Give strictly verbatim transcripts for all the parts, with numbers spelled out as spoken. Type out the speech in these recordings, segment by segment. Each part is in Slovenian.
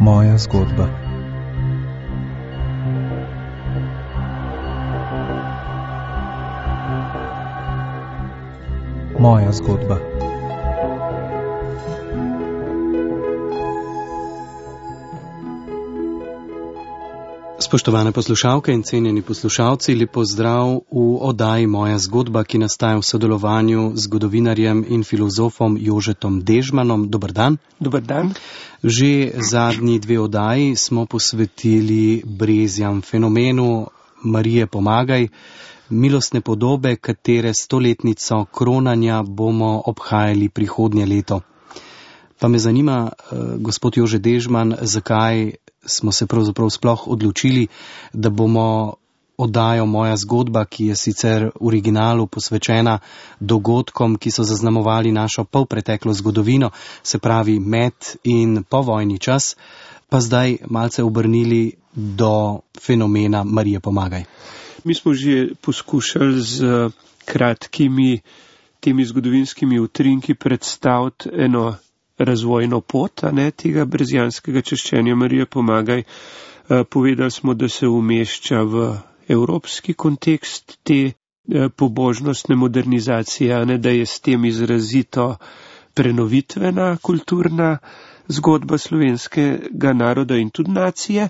Moja zgodba. Moja zgodba. Spoštovane poslušalke in cenjeni poslušalci, lep pozdrav v oddaji Moja zgodba, ki nastaja v sodelovanju z zgodovinarjem in filozofom Jožetom Dežmanom. Dober dan. Dober dan. Že zadnji dve oddaji smo posvetili brezjam, fenomenu Marije Pomagaj, milostne podobe, katere stoletnico kronanja bomo obhajali prihodnje leto. Pa me zanima, gospod Jože Dežman, zakaj smo se pravzaprav sploh odločili, da bomo oddajo Moja zgodba, ki je sicer v originalu posvečena dogodkom, ki so zaznamovali našo polpreteklo zgodovino, se pravi med in povojni čas, pa zdaj malce obrnili do fenomena Marije Pomagaj. Mi smo že poskušali z kratkimi temi zgodovinskimi utrinki predstaviti eno razvojno pot, a ne, tega brezjanskega češčenja Marije Pomagaj. Povedali smo, da se umešča v evropski kontekst te pobožnostne modernizacije, a ne, da je s tem izrazito prenovitvena kulturna zgodba slovenskega naroda in tudi nacije.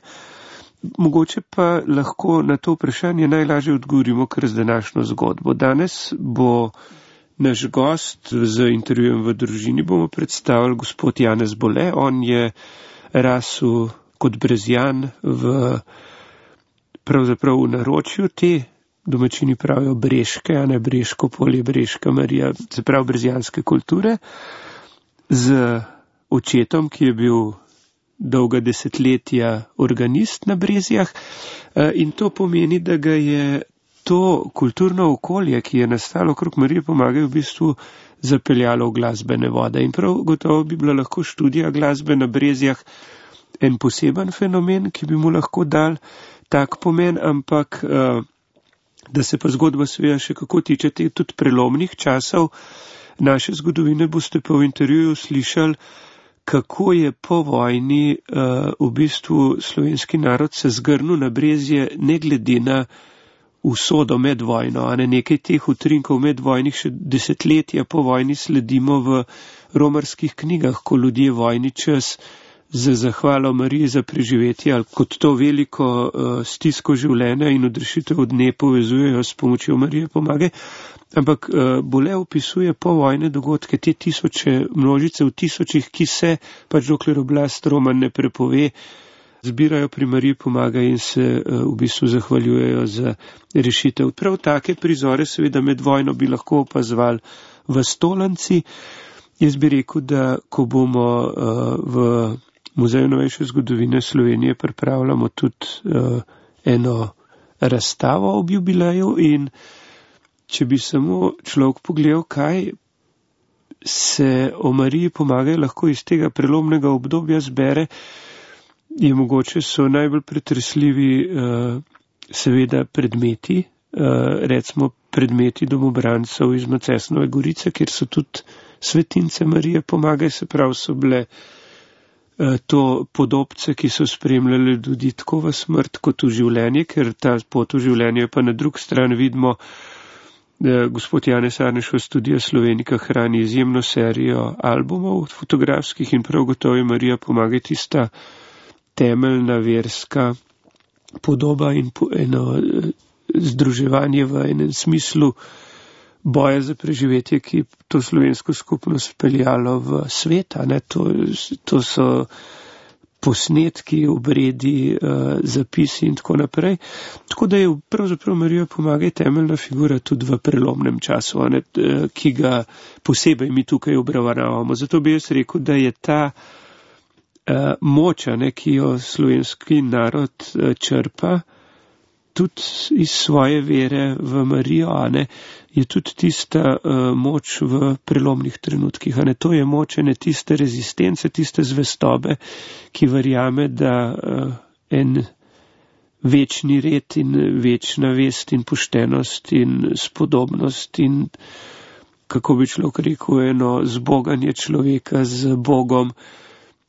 Mogoče pa lahko na to vprašanje najlažje odgovorimo kar z današnjo zgodbo. Danes bo naš gost z intervjujem v družini bomo predstavili gospod Janez Bole. On je rasel kot brezjan v pravzaprav v naročju te, domačini pravijo Breške, a ne Breško polje, Breška Marija, se pravi brezjanske kulture, z očetom, ki je bil dolga desetletja organist na Brezjah, in to pomeni, da ga je to kulturno okolje, ki je nastalo okrog Marije Pomagaj, v bistvu zapeljalo v glasbene vode. In prav gotovo bi bila lahko študija glasbe na Brezjah en poseben fenomen, ki bi mu lahko dal tak pomen, ampak da se pa zgodba seveda še kako tiče tudi prelomnih časov naše zgodovine, boste pa v intervjuju slišali, kako je po vojni v bistvu slovenski narod se zgrnil na Brezje, ne glede na usodo med vojno, a ne nekaj teh utrinkov medvojnih še desetletja po vojni sledimo v romarskih knjigah, ko ljudje vojni čas za zahvalo Mariji za preživetje ali kot to veliko uh, stisko življenja in odrešitev od dne povezujejo s pomočjo Marije Pomagaj. Ampak uh, Bole opisuje povojne dogodke, te tisoče, množice v tisočih, ki se, pač dokler oblast Roman ne prepove, zbirajo pri Mariji Pomagaj in se uh, v bistvu zahvaljujejo za rešitev. Prav take prizore seveda med vojno bi lahko opazovali v Stolanci. Jaz bi rekel, da ko bomo uh, v Muzeju novejše zgodovine Slovenije pripravljamo tudi uh, eno razstavo ob jubileju, in če bi samo človek pogledal, kaj se o Mariji Pomagaj lahko iz tega prelomnega obdobja zbere, je mogoče so najbolj pretresljivi uh, seveda predmeti, uh, recimo predmeti domobrancev iz Macesnove Gorice, kjer so tudi svetince Marije Pomagaj, se pravi so bile uh, to podobce, ki so spremljali ljudi tako v smrt kot v življenje, ker ta pot v življenje pa na drug stran vidimo, da gospod Janez Arneš v Studia Slovenika hrani izjemno serijo albumov fotografskih in prav gotovo je Marija Pomagaj tista temeljna verska podoba in po, eno združevanje v enem smislu boja za preživetje, ki to slovensko skupnost peljalo v svet. Ne? To, to so posnetki, obredi, uh, zapisi in tako naprej. Tako da je pravzaprav Marija Pomagaj temeljna figura tudi v prelomnem času, ne? Ki ga posebej mi tukaj obravnavamo. Zato bi jaz rekel, da je ta Uh, moča, ne, ki jo slovenski narod uh, črpa tudi iz svoje vere v Marijo, a ne, je tudi tista uh, moč v prelomnih trenutkih. A ne, to je moč ene tiste rezistence, tiste zvestobe, ki verjame, da uh, en večni red in večna vest in poštenost in spodobnost in, kako bi človek rekel, eno zboganje človeka z Bogom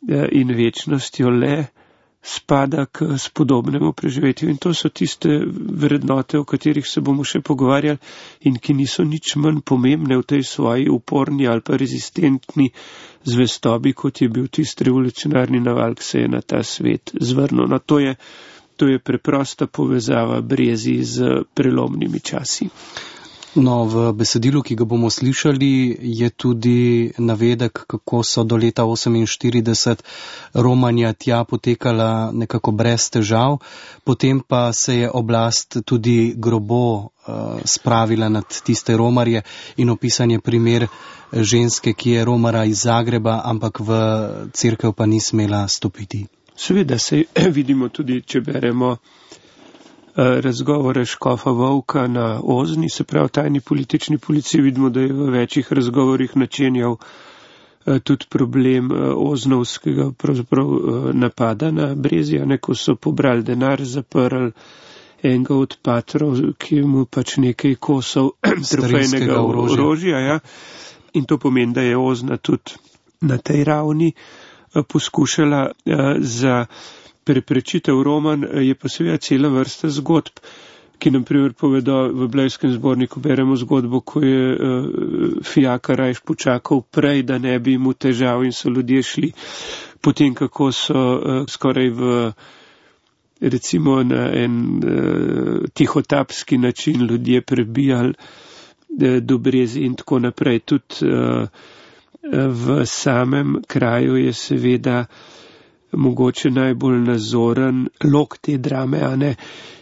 in večnostjo le spada k spodobnemu preživetju. In to so tiste vrednote, o katerih se bomo še pogovarjali in ki niso nič manj pomembne v tej svoji uporni ali pa rezistentni zvestobi, kot je bil tisti revolucionarni naval, ki se je na ta svet zvrnil. No, to je, to je preprosta povezava Brezij z prelomnimi časi. No, v besedilu, ki ga bomo slišali, je tudi navedek, kako so do leta oseminštirideset romanja tja potekala nekako brez težav, potem pa se je oblast tudi grobo uh, spravila nad tiste romarje in opisan je primer ženske, ki je romara iz Zagreba, ampak v cerkev pa ni smela stopiti. Seveda se vidimo tudi, če beremo razgovore škofa Volka na Ozni, se pravi tajni politični policiji, vidimo, da je v večjih razgovorih načenjal tudi problem oznovskega pravzaprav napada na Brezja, ko so pobrali denar, zaprli enega od patrov, ki mu pač nekaj kosov trofejnega orožja. Ja. In to pomeni, da je Ozna tudi na tej ravni poskušala za preprečitev roman, je pa seveda cela vrsta zgodb, ki nam primer povedo v Blejskem zborniku, beremo zgodbo, ko je uh, Fijaka rajš počakal prej, da ne bi mu težav in so ljudje šli, potem kako so uh, skoraj v recimo na en uh, tihotapski način ljudje prebijali uh, do Brezij in tako naprej. Tudi uh, v samem kraju je seveda mogoče najbolj nazoren lok te drame, a ne,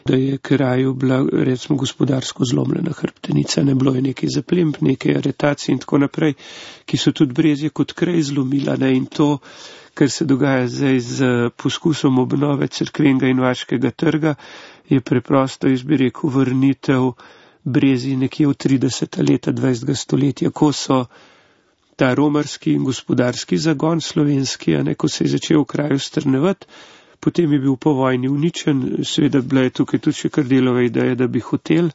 da je kraju bila, recimo, gospodarsko zlomljena hrbtenica, ne bilo je nekaj zaplemb, nekaj aretacij in tako naprej, ki so tudi Brezje kot kraj zlomila, ne, in to, kar se dogaja zdaj z poskusom obnove cerkvenega in vaškega trga, je preprosto, jaz bi rekel, vrnitev Brezij nekje v trideseta leta dvajsetega stoletja, ko so ta romarski in gospodarski zagon slovenski, a ne, ko se je začel v kraju strnevati, potem je bil po vojni uničen, seveda bila je tukaj tudi še kar delova ideja, da bi hotel,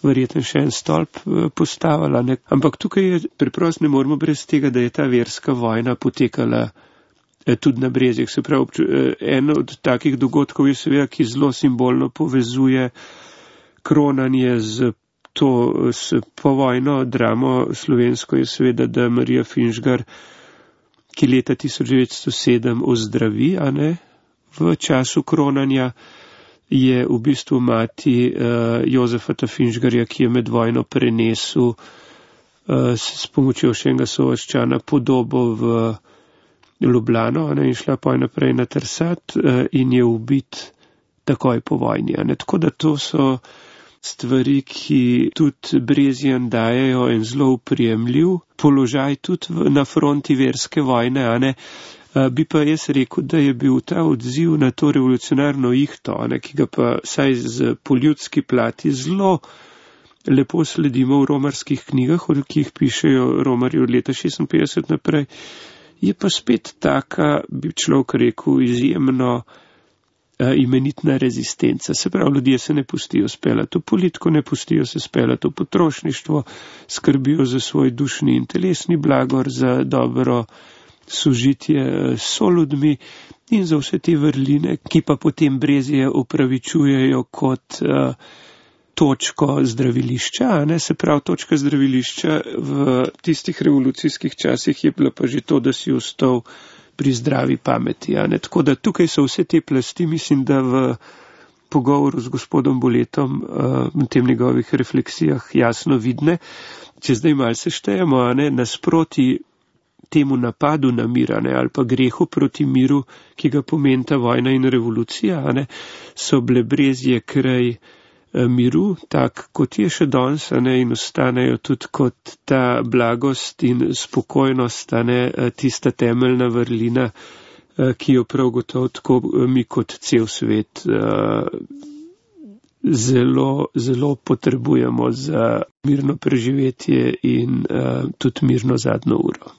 verjetno še en stolp postavila, ne. Ampak tukaj je preprosto ne moramo brez tega, da je ta verska vojna potekala tudi na Brezjah. Se pravi, en od takih dogodkov je seveda, ki zelo simbolno povezuje kronanje z to s povojno dramo slovensko, je seveda, da Marija Finžgar, ki leta tisoč devetsto sedem ozdravi, a ne, v času kronanja, je v bistvu mati uh, Jozefata Finžgarja, ki je med vojno prenesel uh, s pomočjo še enega sovaščana podobo v Ljubljano, a ne, in šla pa naprej na Trsat uh, in je ubit takoj po vojni, a ne. Tako da to so stvari, ki tudi Brezjem dajejo en zelo uprijemljiv položaj tudi na fronti verske vojne, a ne. Bi pa jaz rekel, da je bil ta odziv na to revolucionarno ihto, a ne, ki ga pa saj z poljudski plati zelo lepo sledimo v romarskih knjigah, ki jih pišejo romarji od leta šestinpetdeset naprej, je pa spet taka, bi človek rekel, izjemno imenitna rezistenca. Se pravi, ljudje se ne pustijo speljati v politiko, ne pustijo se speljati v potrošništvo, skrbijo za svoj dušni in telesni blagor, za dobro sožitje s soljudmi in za vse te vrline, ki pa potem Brezje upravičujejo kot uh, točko zdravilišča, a ne, se pravi, točka zdravilišča v tistih revolucijskih časih je bila pa že to, da si ostal pri zdravi pameti, a ne. Tako da tukaj so vse te plasti, mislim, da v pogovoru z gospodom Boletom v tem njegovih refleksijah jasno vidne. Če zdaj malce štejemo, a ne, nasproti temu napadu na mir, a ne, ali pa grehu proti miru, ki ga pomenta vojna in revolucija, a ne, so bile Brezje kraj miru, tak kot je še danes, a ne, in ostanejo tudi kot ta blagost in spokojnost, a ne, tista temeljna vrlina, ki jo prav gotovo tako mi kot cel svet zelo, zelo potrebujemo za mirno preživetje in tudi mirno zadnjo uro.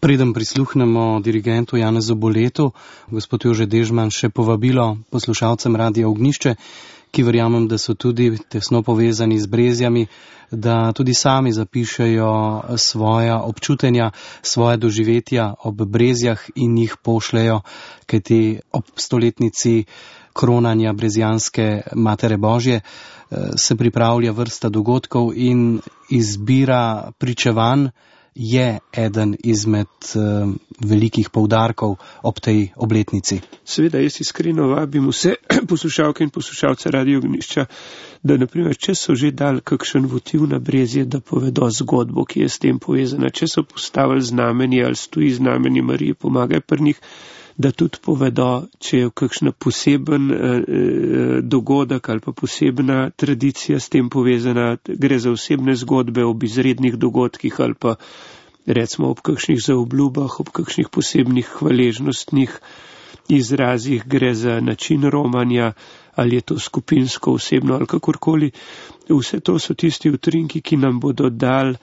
Preden prisluhnemo dirigentu Janezu Boletu, gospod Jože Dežman, še povabilo poslušalcem Radia Ognjišče, ki verjamem, da so tudi tesno povezani z Brezjami, da tudi sami zapišejo svoja občutenja, svoje doživetja ob Brezjah in jih pošljajo, kajti ob stoletnici kronanja brezjanske Matere Božje se pripravlja vrsta dogodkov in izbira pričevanj je eden izmed uh, velikih poudarkov ob tej obletnici. Seveda, jaz iskreno vabim vse poslušalke in poslušalce Radio Ognjišča, da naprimer, če so že dali kakšen votiv na Brezje, da povedo zgodbo, ki je s tem povezana, če so postavili znamenje ali stoji znamenje Marije Pomagaj pri njih, da tudi povedo, če je kakšna poseben eh, dogodek ali pa posebna tradicija s tem povezana, gre za osebne zgodbe ob izrednih dogodkih ali pa recimo ob kakšnih zaobljubah, ob kakšnih posebnih hvaležnostnih izrazih, gre za način romanja ali je to skupinsko, osebno ali kakorkoli. Vse to so tisti utrinki, ki nam bodo dali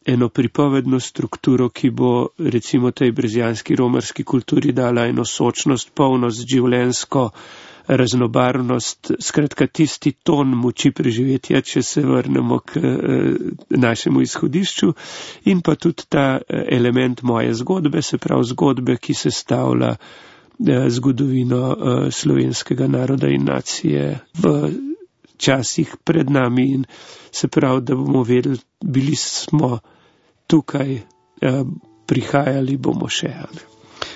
eno pripovedno strukturo, ki bo recimo tej brezjanski romarski kulturi dala eno sočnost, polnost, življensko raznobarvnost, skratka tisti ton moči preživetja, če se vrnemo k eh, našemu izhodišču, in pa tudi ta element moje zgodbe, se pravi zgodbe, ki se stavlja eh, zgodovino eh, slovenskega naroda in nacije v časih pred nami, in se pravi, da bomo vedeli, bili smo tukaj, eh, prihajali bomo še.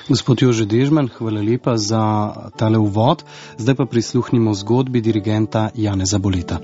Gospod Jože Dežman, hvala lepa za tale uvod. Zdaj pa prisluhnimo zgodbi dirigenta Janeza Boleta.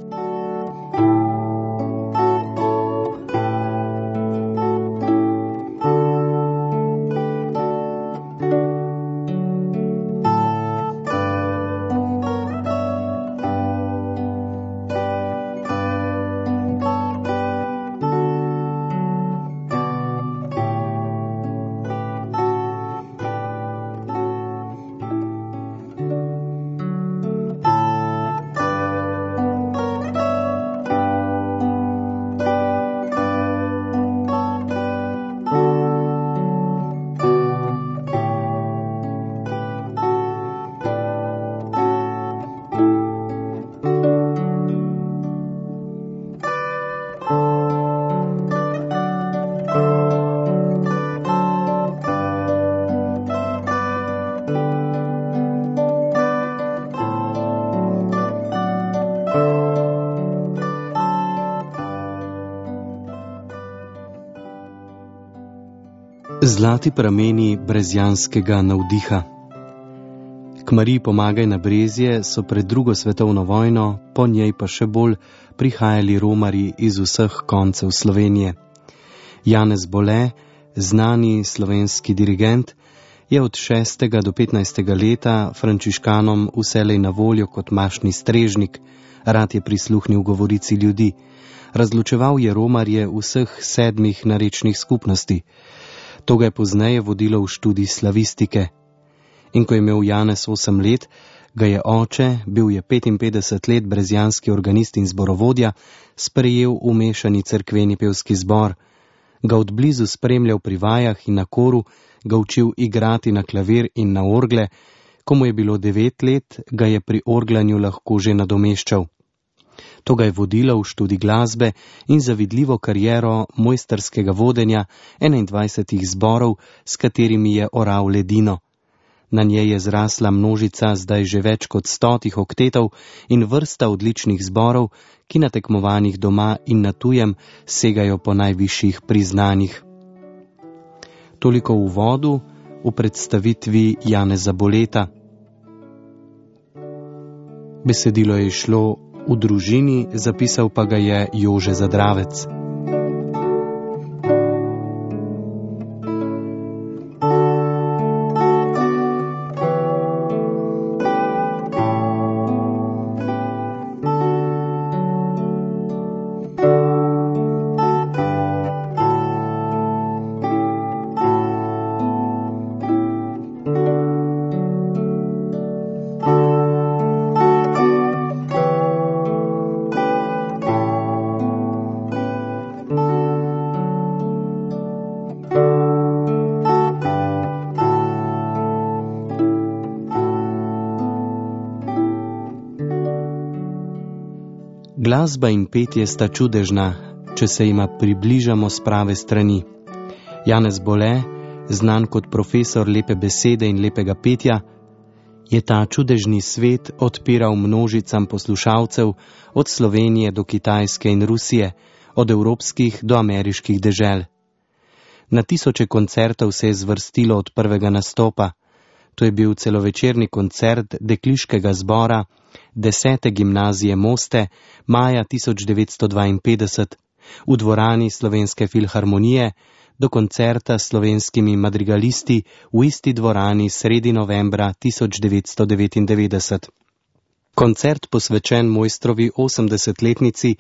Zlati prameni brezjanskega navdiha. K Mariji Pomagaj na Brezje so pred drugo svetovno vojno, po njej pa še bolj, prihajali romarji iz vseh koncev Slovenije. Janez Bole, znani slovenski dirigent, je od šestega do petnajstega leta frančiškanom vselej na voljo kot mašni strežnik, rad je prisluhnil govorici ljudi. Razločeval je romarje vseh sedmih narečnih skupnosti. To ga je pozneje vodilo v študij slavistike. In ko je imel Janez osem let, ga je oče, bil je petinpetdeset let brezjanski organist in zborovodja, sprejel v mešani cerkveni pevski zbor, ga od blizu spremljal pri vajah in na koru, ga učil igrati na klavir in na orgle, ko mu je bilo devet let, ga je pri orglanju lahko že nadomeščal. To ga je vodilo v študij glasbe in zavidljivo kariero mojsterskega vodenja enaindvajsetih zborov, s katerimi je oral ledino. Na njej je zrasla množica zdaj že več kot stotih oktetov in vrsta odličnih zborov, ki na tekmovanjih doma in na tujem segajo po najvišjih priznanjih. Toliko v uvodu v predstavitvi Janeza Boleta. Besedilo je šlo v družini, zapisal pa ga je Jože Zadravec. Glasba in petje sta čudežna, če se jima približamo s prave strani. Janez Bole, znan kot profesor lepe besede in lepega petja, je ta čudežni svet odpiral množicam poslušalcev od Slovenije do Kitajske in Rusije, od evropskih do ameriških dežel. Na tisoče koncertov se je zvrstilo od prvega nastopa. To je bil celovečerni koncert dekliškega zbora desete gimnazije Moste maja tisoč devetsto dvainpetdeset v dvorani Slovenske filharmonije do koncerta s slovenskimi madrigalisti v isti dvorani sredi novembra tisoč devetsto devetindevetdeset. Koncert posvečen mojstrovi osemdesetletnici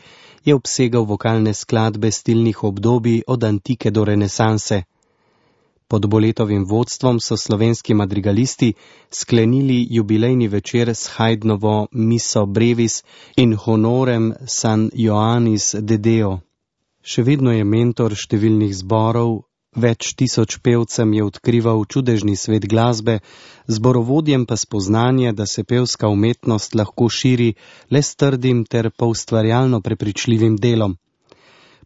je obsegal vokalne skladbe stilnih obdobij od antike do renesanse. Pod Boletovim vodstvom so slovenski madrigalisti sklenili jubilejni večer s Haydnovo Miso Brevis in Honorem San Ioannis de Deo. Še vedno je mentor številnih zborov, več tisoč pevcem je odkrival čudežni svet glasbe, zborovodjem pa spoznanje, da se pevska umetnost lahko širi le s trdim ter poustvarjalno prepričljivim delom.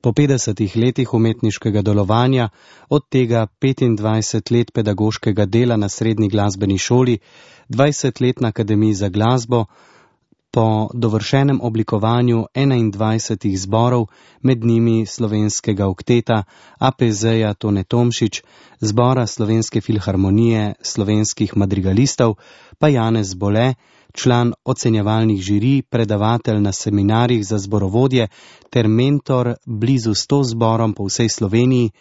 Po petdesetih letih umetniškega delovanja, od tega petindvajset let pedagoškega dela na srednji glasbeni šoli, dvajset let na Akademiji za glasbo, po dovršenem oblikovanju enaindvajsetih zborov, med njimi slovenskega okteta A P Z-ja Tone Tomšič, zbora Slovenske filharmonije, slovenskih madrigalistov, pa Janez Bole, član ocenjevalnih žirij, predavatelj na seminarjih za zborovodje ter mentor blizu sto zborom po vsej Sloveniji,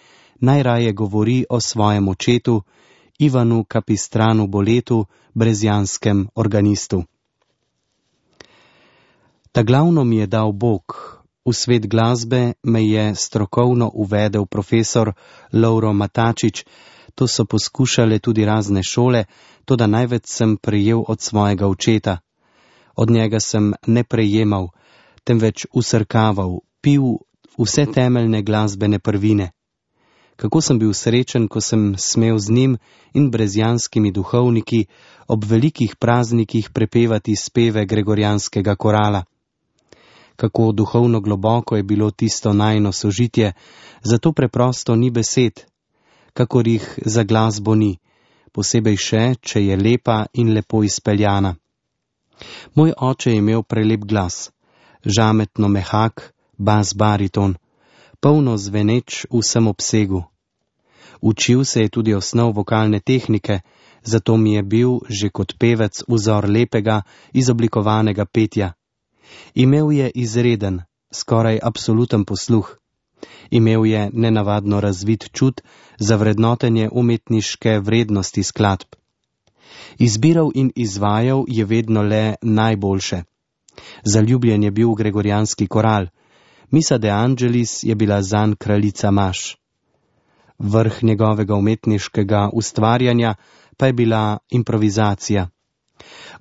najraje govori o svojem očetu, Ivanu Kapistranu Boletu, brezjanskem organistu. Ta glavno mi je dal Bog, v svet glasbe me je strokovno uvedel profesor Lovro Matačič, to so poskušale tudi razne šole, toda največ sem prejel od svojega očeta. Od njega sem ne prejemal, temveč usrkaval, pil vse temeljne glasbene prvine. Kako sem bil srečen, ko sem smel z njim in brezjanskimi duhovniki ob velikih praznikih prepevati speve gregorijanskega korala. Kako duhovno globoko je bilo tisto najino sožitje, zato preprosto ni besed, kakor jih za glasbo ni, posebej še, če je lepa in lepo izpeljana. Moj oče je imel prelep glas, žametno mehak, bas bariton, polno zveneč v vsem obsegu. Učil se je tudi osnov vokalne tehnike, zato mi je bil že kot pevec vzor lepega, izoblikovanega petja. Imel je izreden, skoraj absoluten posluh. Imel je nenavadno razvit čut za vrednotenje umetniške vrednosti skladb. Izbiral in izvajal je vedno le najboljše. Zaljubljen je bil v gregorijanski koral. Misa de Angelis je bila zanj kraljica maš. Vrh njegovega umetniškega ustvarjanja pa je bila improvizacija.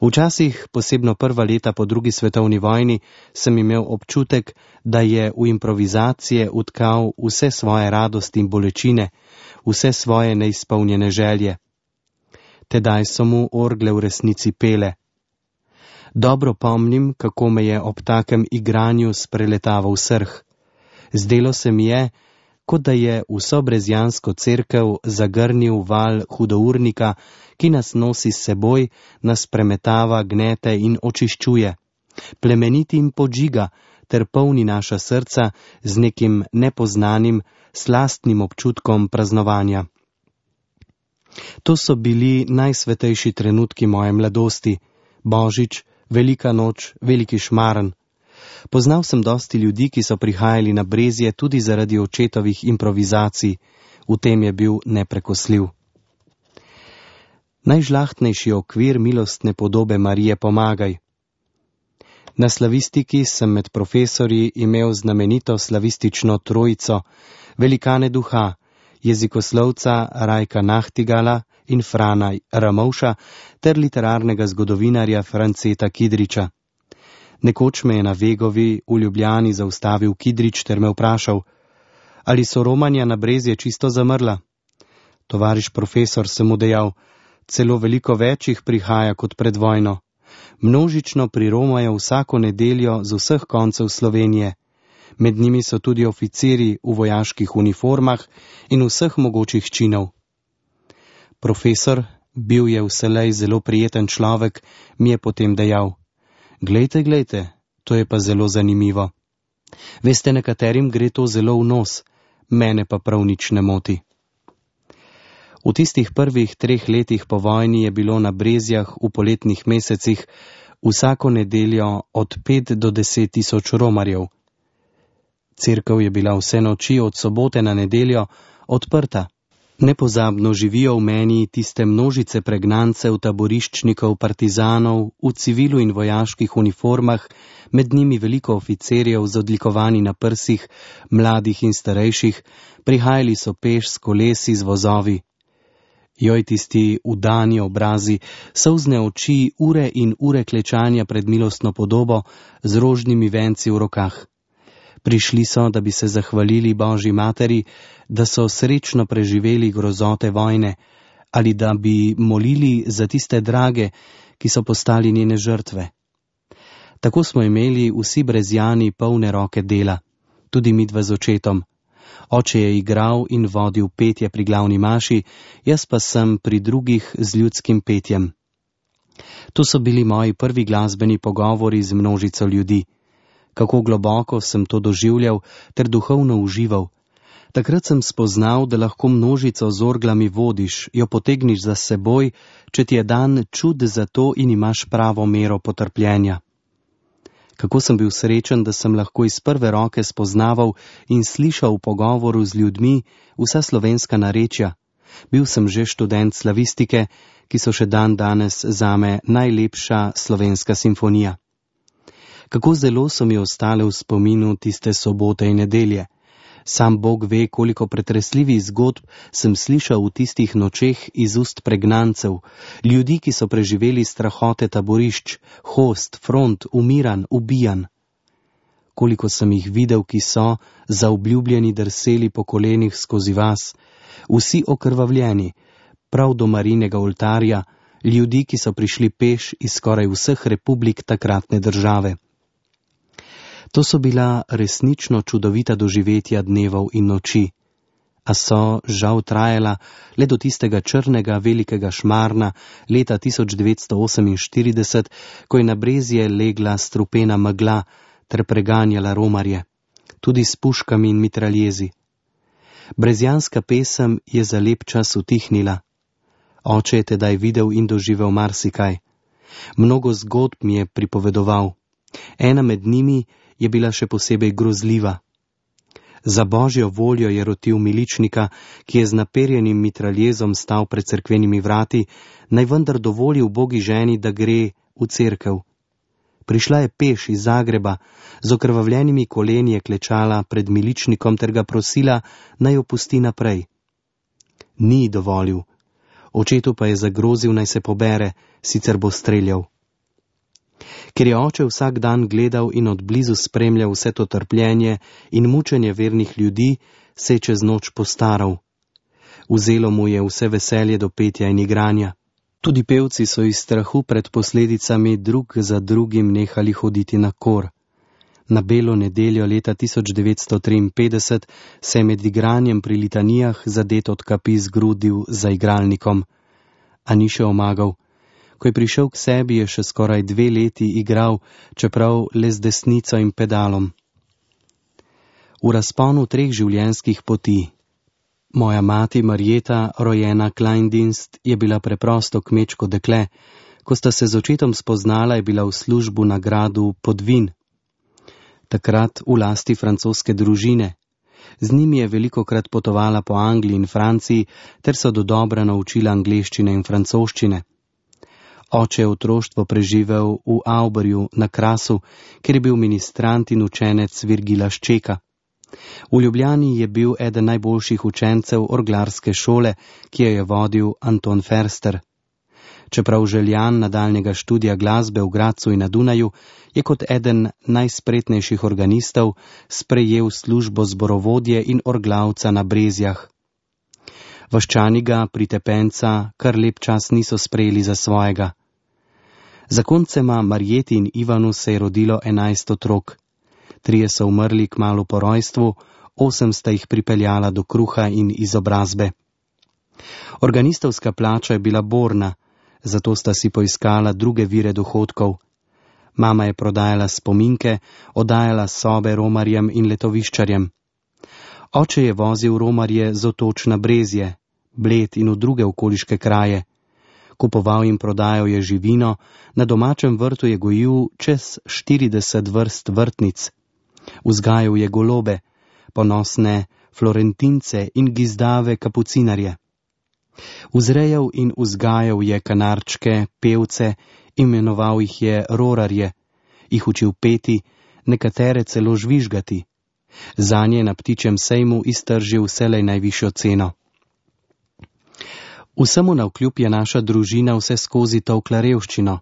Včasih, posebno prva leta po drugi svetovni vojni, sem imel občutek, da je v improvizacije utkal vse svoje radosti in bolečine, vse svoje neizpolnjene želje. Tedaj so mu orgle v resnici pele. Dobro pomnim, kako me je ob takem igranju spreletaval srh. Zdelo se mi je, kot da je vso brezjansko cerkev zagrnil val hudournika, ki nas nosi s seboj, nas premetava, gnete in očiščuje, plemeniti in podžiga, ter polni naša srca z nekim nepoznanim, slastnim občutkom praznovanja. To so bili najsvetejši trenutki moje mladosti, Božič, velika noč, veliki šmaren. Poznal sem dosti ljudi, ki so prihajali na Brezje tudi zaradi očetovih improvizacij, v tem je bil neprekosljiv. Najžlahtnejši okvir milostne podobe Marije Pomagaj. Na slavistiki sem med profesorji imel znamenito slavistično trojico, velikane duha, jezikoslovca Rajka Nahtigala in Frana Ramovša ter literarnega zgodovinarja Franceta Kidriča. Nekoč me je na Vegovi v Ljubljani zaustavil Kidrič ter me vprašal, ali so romanja na Brezje čisto zamrla. Tovariš profesor, sem mu dejal, celo veliko več jih prihaja kot pred vojno. Množično priromajo vsako nedeljo z vseh koncev Slovenije. Med njimi so tudi oficiri v vojaških uniformah in vseh mogočih činov. Profesor, bil je vselej zelo prijeten človek, mi je potem dejal: Glejte, glejte, to je pa zelo zanimivo. Veste, nekaterim gre to zelo v nos, mene pa prav nič ne moti. V tistih prvih treh letih po vojni je bilo na Brezjah v poletnih mesecih vsako nedeljo od pet do deset tisoč romarjev. Cerkev je bila vse noči od sobote na nedeljo odprta. Nepozabno živijo v meni tiste množice pregnancev, taboriščnikov, partizanov, v civilu in vojaških uniformah, med njimi veliko oficirjev z odlikovanji na prsih, mladih in starejših, prihajali so peš s kolesi, z vozovi. Joj, tisti udani obrazi, solzne oči, ure in ure klečanja pred milostno podobo z rožnimi venci v rokah. Prišli so, da bi se zahvalili Božji materi, da so srečno preživeli grozote vojne, ali da bi molili za tiste drage, ki so postali njene žrtve. Tako smo imeli vsi Brezjani polne roke dela, tudi midva z očetom. Oče je igral in vodil petje pri glavni maši, jaz pa sem pri drugih z ljudskim petjem. To so bili moji prvi glasbeni pogovori z množico ljudi. Kako globoko sem to doživljal ter duhovno užival. Takrat sem spoznal, da lahko množico z orglami vodiš, jo potegniš za seboj, če ti je dan čud za to in imaš pravo mero potrpljenja. Kako sem bil srečen, da sem lahko iz prve roke spoznaval in slišal v pogovoru z ljudmi vsa slovenska narečja. Bil sem že študent slavistike, ki so še dan danes zame najlepša slovenska simfonija. Kako zelo so mi ostale v spominu tiste sobote in nedelje. Sam Bog ve, koliko pretresljivih zgodb sem slišal v tistih nočeh iz ust pregnancev, ljudi, ki so preživeli strahote taborišč, host, front, umiran, ubijan. Koliko sem jih videl, ki so zaobljubljeni drseli po kolenih skozi vas, vsi okrvavljeni, prav do Marijinega oltarja, ljudi, ki so prišli peš iz skoraj vseh republik takratne države. To so bila resnično čudovita doživetja dnevov in noči, a so žal trajala le do tistega črnega velikega šmarna leta tisoč devetsto oseminštirideset, ko je na Brezje legla strupena megla ter preganjala romarje, tudi s puškami in mitraljezi. Brezjanska pesem je za lep čas utihnila. Oče je tedaj videl in doživel marsikaj. Mnogo zgodb mi je pripovedoval. Ena med njimi je bila še posebej grozljiva. Za Božjo voljo je rotil miličnika, ki je z naperjenim mitraljezom stal pred cerkvenimi vrati, naj vendar dovoli ubogi ženi, da gre v cerkev. Prišla je peš iz Zagreba, z okrvavljenimi koleni je klečala pred miličnikom ter ga prosila, naj jo pusti naprej. Ni dovolil. Očetu pa je zagrozil, naj se pobere, sicer bo streljal. Ker je oče vsak dan gledal in odblizu spremljal vse to trpljenje in mučenje vernih ljudi, se je čez noč postaral. Vzelo mu je vse veselje do petja in igranja. Tudi pevci so iz strahu pred posledicami drug za drugim nehali hoditi na kor. Na belo nedeljo leta tisoč devetsto triinpetdeset se je med igranjem pri litanijah zadet od kapi zgrudil za igralnikom, a ni še omagal. Ko je prišel k sebi, je še skoraj dve leti igral, čeprav le z desnico in pedalom. V razponu treh življenjskih poti. Moja mati Marjeta, rojena Kleindienst, je bila preprosto kmečko dekle. Ko sta se z očetom spoznala, je bila v službu na gradu Podvin. Takrat v lasti francoske družine. Z njimi je velikokrat potovala po Angliji in Franciji, ter so dodobra naučila angleščine in francoščine. Oče je otroštvo preživel v Auberju na Krasu, kjer je bil ministrant in učenec Virgila Ščeka. V Ljubljani je bil eden najboljših učencev orglarske šole, ki jo je vodil Anton Ferster. Čeprav željan nadaljnjega študija glasbe v Gradcu in na Dunaju, je kot eden najspretnejših organistov sprejel službo zborovodje in orglavca na Brezjah. Vaščani ga, pritepenca, kar lep čas niso sprejeli za svojega. Zakoncema Marjeti in Ivanu se je rodilo enajst otrok. Trije so umrli kmalu po rojstvu, osem sta jih pripeljala do kruha in izobrazbe. Organistovska plača je bila borna, zato sta si poiskala druge vire dohodkov. Mama je prodajala spominke, oddajala sobe romarjem in letoviščarjem. Oče je vozil romarje z Otoč na Brezje, Bled in v druge okoliške kraje. Kupoval in prodajal je živino, na domačem vrtu je gojil čez štirideset vrst vrtnic. Vzgajal je golobe, ponosne florentince in gizdave kapucinarje. Vzrejal in vzgajal je kanarčke, pevce, imenoval jih je rorarje, jih učil peti, nekatere celo žvižgati. Zanje na ptičjem sejmu iztržil vselej najvišjo ceno. Vsemu navkljub je naša družina vse skozi tolkla revščino.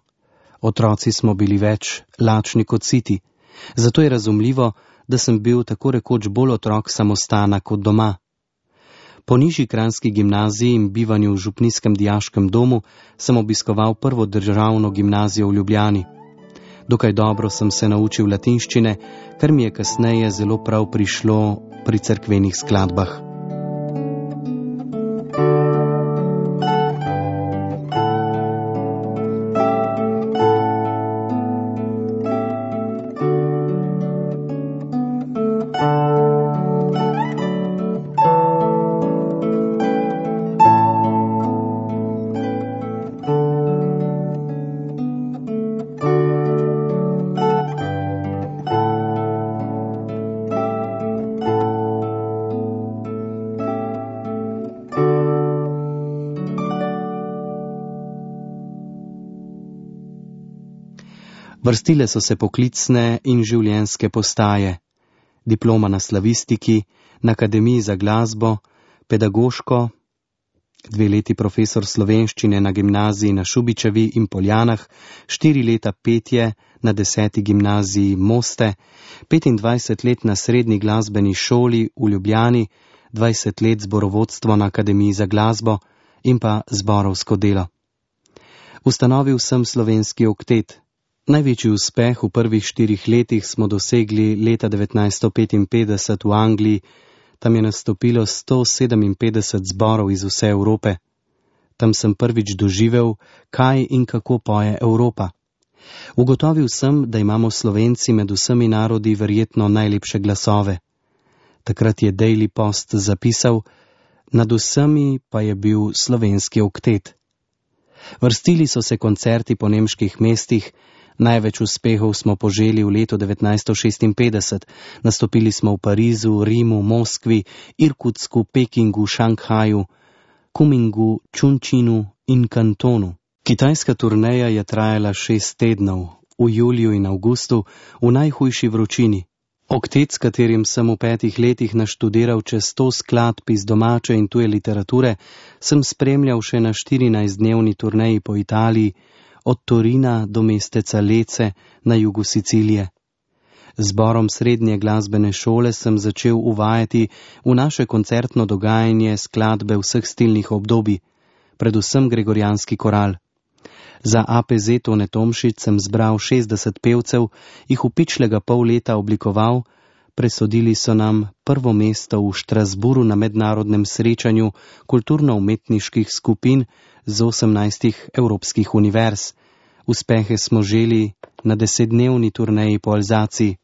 Otroci smo bili več lačni kot siti, zato je razumljivo, da sem bil tako rekoč bolj otrok samostana kot doma. Po nižji kranjski gimnaziji in bivanju v župnijskem dijaškem domu sem obiskoval prvo državno gimnazijo v Ljubljani. Dokaj dobro sem se naučil latinščine, kar mi je kasneje zelo prav prišlo pri cerkvenih skladbah. Vrstile so se poklicne in življenjske postaje, diploma na slavistiki, na akademiji za glasbo, pedagoško, dve leti profesor slovenščine na gimnaziji na Šubičevi in Poljanah, štiri leta petje na deseti gimnaziji Moste, petindvajset let na srednji glasbeni šoli v Ljubljani, dvajset let zborovodstvo na akademiji za glasbo in pa zborovsko delo. Ustanovil sem slovenski oktet. Največji uspeh v prvih štirih letih smo dosegli leta devetnajststo petinpetdeset v Angliji. Tam je nastopilo sto sedeminpetdeset zborov iz vse Evrope. Tam sem prvič doživel, kaj in kako poje Evropa. Ugotovil sem, da imamo Slovenci med vsemi narodi verjetno najlepše glasove. Takrat je Daily Post zapisal, nad vsemi pa je bil slovenski oktet. Vrstili so se koncerti po nemških mestih. Največ uspehov smo poželi v letu devetnajststo šestinpetdeset. Nastopili smo v Parizu, Rimu, Moskvi, Irkutsku, Pekingu, Šanghaju, Kumingu, Čunčinu in Kantonu. Kitajska turneja je trajala šest tednov, v juliju in avgustu, v najhujši vročini. Oktet, s katerim sem v petih letih naštudiral čez sto skladb iz domače in tuje literature, sem spremljal še na štirinajstdnevni turneji po Italiji, od Torina do mesteca Lece na jugu Sicilije. Zborom srednje glasbene šole sem začel uvajati v naše koncertno dogajanje skladbe vseh stilnih obdobij, predvsem gregorijanski koral. Za A P Z Tone Tomšič sem zbral šestdeset pevcev, jih v pičlega pol leta oblikoval, presodili so nam prvo mesto v Štrasburu na mednarodnem srečanju kulturno-umetniških skupin z osemnajstih evropskih univerz. Uspehe smo želi na desetdnevni turneji po Alzaciji.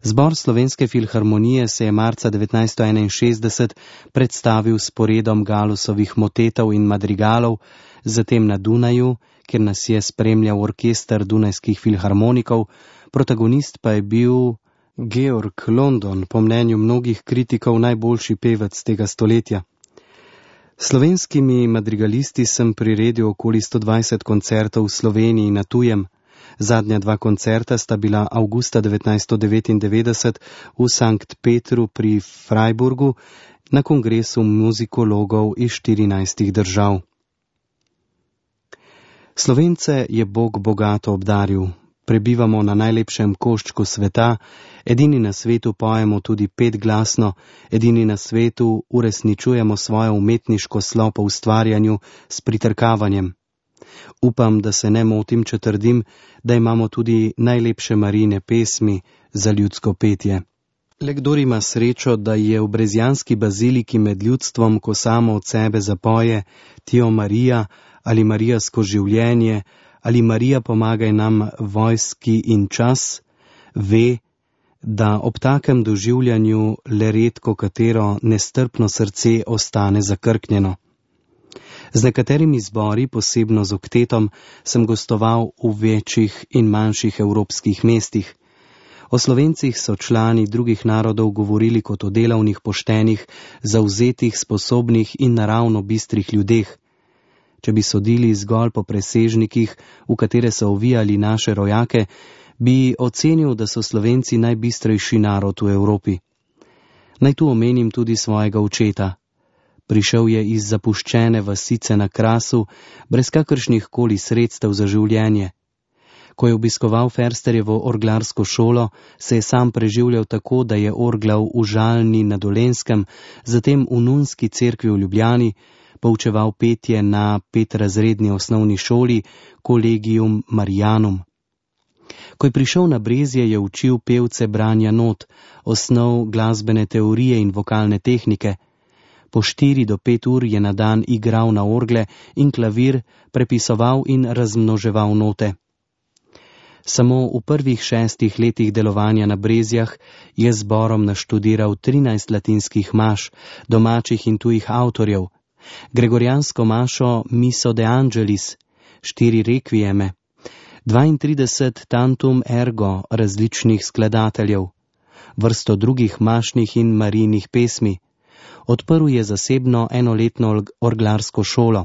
Zbor Slovenske filharmonije se je marca devetnajststo enainšestdeset predstavil s poredom Galusovih motetov in madrigalov, zatem na Dunaju, kjer nas je spremljal orkester Dunajskih filharmonikov, protagonist pa je bil Georg London, po mnenju mnogih kritikov najboljši pevec tega stoletja. Slovenskimi madrigalisti sem priredil okoli sto dvajset koncertov v Sloveniji na tujem. Zadnja dva koncerta sta bila avgusta devetnajststo devetindevetdeset v Sankt Petru pri Freiburgu na kongresu muzikologov iz štirinajstih držav. Slovence je Bog bogato obdaril. Prebivamo na najlepšem koščku sveta, edini na svetu pojemo tudi petglasno, edini na svetu uresničujemo svojo umetniško slo po ustvarjanju s pritrkavanjem. Upam, da se ne motim, če trdim, da imamo tudi najlepše Marijine pesmi za ljudsko petje. Le kdor ima srečo, da je v brezjanski baziliki med ljudstvom, ko samo od sebe zapoje Tio Marija ali Marijasko življenje ali Marija pomagaj nam vojski in čas, ve, da ob takem doživljanju le redko katero nestrpno srce ostane zakrknjeno. Z nekaterimi zbori, posebno z oktetom, sem gostoval v večjih in manjših evropskih mestih. O Slovencih so člani drugih narodov govorili kot o delavnih, poštenih, zavzetih, sposobnih in naravno bistrih ljudeh. Če bi sodili zgolj po presežnikih, v katere so ovijali naše rojake, bi ocenil, da so Slovenci najbistrejši narod v Evropi. Naj tu omenim tudi svojega očeta. Prišel je iz zapuščene vasice na Krasu, brez kakršnih koli sredstev za življenje. Ko je obiskoval Fersterjevo orglarsko šolo, se je sam preživljal tako, da je orglal v Žalni na Dolenjskem, zatem v Nunski cerkvi v Ljubljani, poučeval petje na petrazredni osnovni šoli Collegium Marianum. Ko je prišel na Brezje, je učil pevce branja not, osnov glasbene teorije in vokalne tehnike. Po štiri do pet ur je na dan igral na orgle in klavir, prepisoval in razmnoževal note. Samo v prvih šestih letih delovanja na Brezjah je zborom naštudiral trinajst latinskih maš, domačih in tujih avtorjev, gregorijansko mašo Miso de Angelis, štiri rekvijeme, dvaintrideset tantum ergo različnih skladateljev, vrsto drugih mašnih in marijnih pesmi. Odprl je zasebno enoletno orglarsko šolo.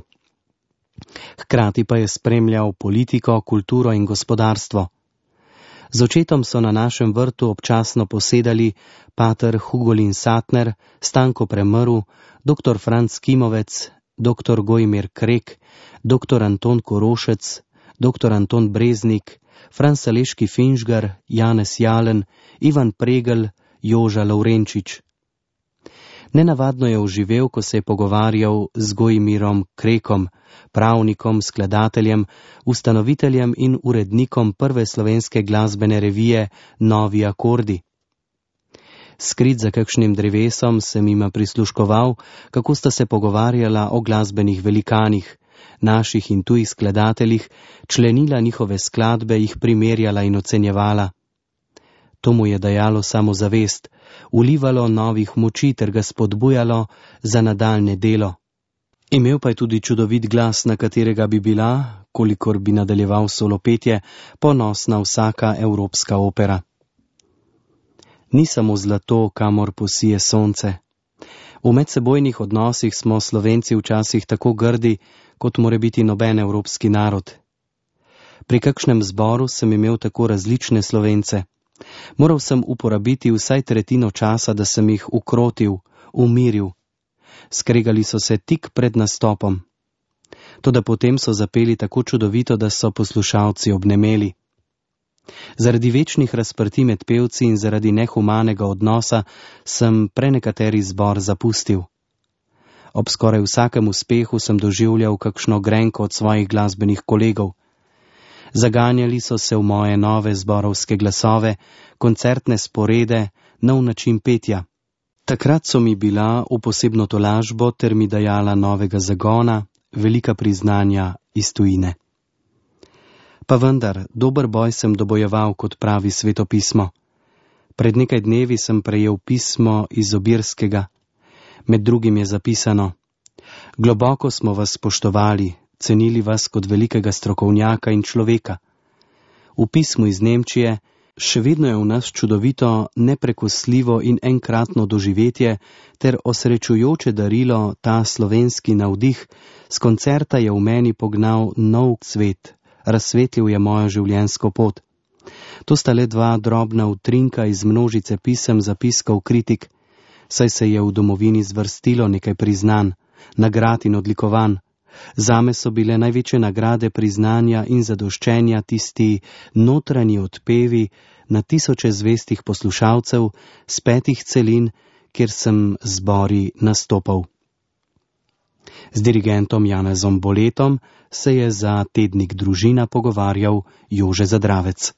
Hkrati pa je spremljal politiko, kulturo in gospodarstvo. Z očetom so na našem vrtu občasno posedali pater Hugolin Satner, Stanko Premrl, doktor Franc Kimovec, doktor Gojmir Krek, doktor Anton Korošec, doktor Anton Breznik, Franc Saleški Finžgar, Janez Jalen, Ivan Pregel, Joža Lovrenčič. Nenavadno je oživel, ko se je pogovarjal z Gojmirom Krekom, pravnikom, skladateljem, ustanoviteljem in urednikom prve slovenske glasbene revije Novi akordi. Skrit za kakšnim drevesom sem jima prisluškoval, kako sta se pogovarjala o glasbenih velikanih, naših in tujih skladateljih, členila njihove skladbe, jih primerjala in ocenjevala. To mu je dajalo samozavest, vlivalo novih moči ter ga spodbujalo za nadaljne delo. Imel pa je tudi čudovit glas, na katerega bi bila, kolikor bi nadaljeval solopetje, ponosna vsaka evropska opera. Ni samo zlato, kamor posije sonce. V medsebojnih odnosih smo Slovenci včasih tako grdi, kot more biti noben evropski narod. Pri kakšnem zboru sem imel tako različne Slovence. Moral sem uporabiti vsaj tretjino časa, da sem jih ukrotil, umiril. Skregali so se tik pred nastopom. Toda potem so zapeli tako čudovito, da so poslušalci obnemeli. Zaradi večnih razprtij med pevci in zaradi nehumanega odnosa sem prenekateri zbor zapustil. Ob skoraj vsakem uspehu sem doživljal kakšno grenko od svojih glasbenih kolegov. Zaganjali so se v moje nove zborovske glasove, koncertne sporede, nov način petja. Takrat so mi bila v posebno tolažbo ter mi dajala novega zagona, velika priznanja iz tujine. Pa vendar, dober boj sem dobojeval, kot pravi svetopismo. Pred nekaj dnevi sem prejel pismo iz Obirskega. Med drugim je zapisano: globoko smo vas spoštovali, cenili vas kot velikega strokovnjaka in človeka. V pismu iz Nemčije: še vedno je v nas čudovito, neprekosljivo in enkratno doživetje ter osrečujoče darilo ta slovenski navdih, s koncerta je v meni pognal nov cvet, razsvetlil je mojo življenjsko pot. To sta le dva drobna utrinka iz množice pisem zapiskov kritik, saj se je v domovini zvrstilo nekaj priznanj, nagrad in odlikovanj. Zame so bile največje nagrade priznanja in zadoščenja tisti notranji odpevi na tisoče zvestih poslušalcev z petih celin, kjer sem zbori nastopal. Z dirigentom Janezom Boletom se je za tednik Družina pogovarjal Jože Zadravec.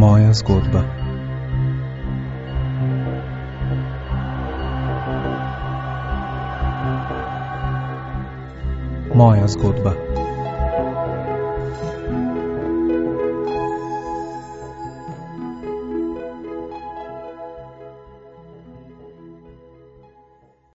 Moja zgodba. Moja zgodba.